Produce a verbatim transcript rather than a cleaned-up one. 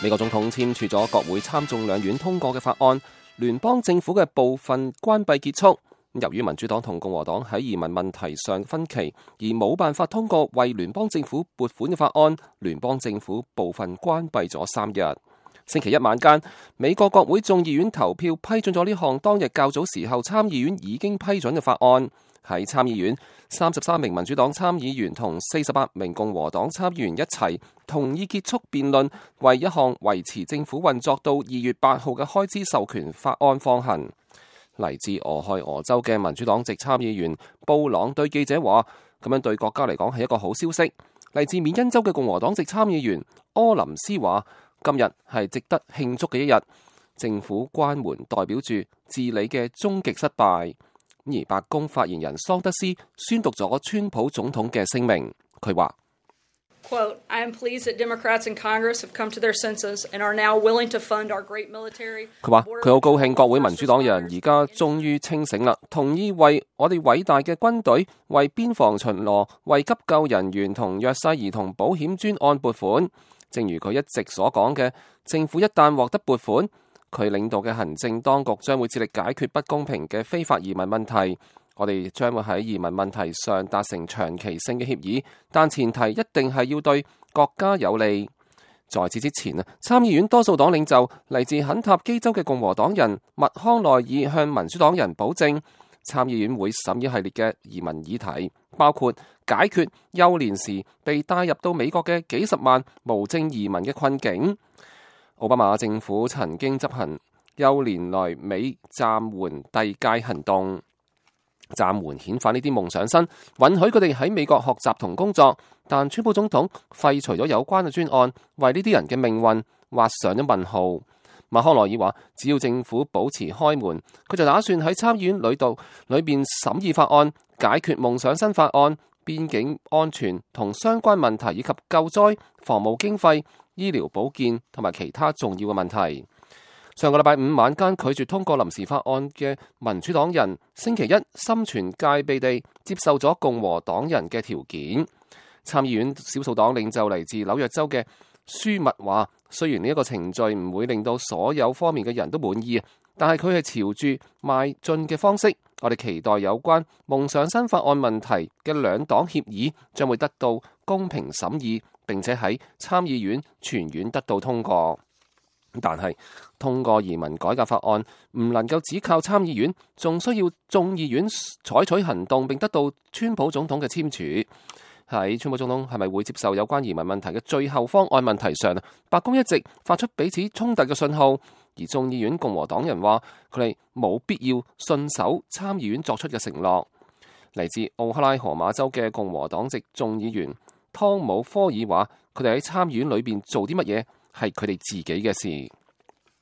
美國總統簽署咗國會參眾兩院通過嘅法案，聯邦政府嘅部分關閉結束。由於民主黨同共和黨喺移民問題上分歧，而冇辦法通過為聯邦政府撥款嘅法案，聯邦政府部分關閉咗三日。星期一晚間，美國國會眾議院投票批准咗呢項當日較早時候參議院已經批准嘅法案。喺參議院，三十三名民主黨參議員同四十八名共和黨參議員一齊同意結束辯論，為一項維持政府運作到二月八號嘅開支授權法案放行。嚟自俄亥俄州嘅民主黨籍參議員布朗對記者話：咁樣對國家嚟講係一個好消息。嚟自緬因州嘅共和黨籍參議員柯林斯話：今日係值得慶祝嘅一日，政府關門代表住治理嘅終極失敗。而白宮發言人桑德斯宣讀咗川普總統嘅聲明，佢話：Quote, I am pleased that Democrats in Congress have come to their senses and are now willing to fund our great military. 佢話佢好高興國會民主黨人而家終於清醒啦，同意為我哋偉大嘅軍隊、為邊防巡邏、為急救人員同弱勢兒童保險專案撥款。正如佢一直所講嘅，政府一旦獲得撥款，佢領導嘅行政當局將會致力解決不公平嘅非法移民問題。我哋將會喺移民問題上達成長期性嘅協議，但前提一定係要對國家有利。在此之前啊，參議院多數黨領袖嚟自肯塔基州嘅共和黨人麥康奈爾向民主黨人保證，參議院會審議系列嘅移民議題，包括解決幼年時被帶入到美國嘅幾十萬無證移民嘅困境。奧巴馬政府曾經執行幼年來美暫緩遞解行動，暫緩遣返呢啲夢想生，允許佢哋喺美國學習同工作。但川普總統廢除咗有關嘅專案，為呢啲人嘅命運畫上咗問號。麥康奈爾話：只要政府保持開門，佢就打算喺參議院裏度裏邊審議法案，解決夢想生法案、邊境安全同相關問題，以及救災、防務經費、醫療保健同埋其他重要嘅問題。上個禮拜五晚間拒絕通過臨時法案嘅民主黨人，星期一心存戒備地接受咗共和黨人嘅條件。參議院少數黨領袖嚟自紐約州嘅舒密話：雖然呢一個程序唔會令到所有方面嘅人都滿意，但係佢係朝住邁進嘅方式。我哋期待有關夢想生法案問題嘅兩黨協議將會得到公平審議，並且喺參議院全院得到通過。但係通過移民改革法案唔能夠只靠參議院，仲需要眾議院採取行動，並得到川普總統嘅簽署。喺川普總統係咪會接受有關移民問題嘅最後方案問題上，白宮一直發出彼此衝突嘅信號，而眾議院共和黨人話佢哋冇必要信守參議院作出嘅承諾。嚟自奧克拉荷馬州嘅共和黨籍眾議員湯姆科爾話：佢哋喺參議院裏邊做啲乜嘢係佢哋自己嘅事。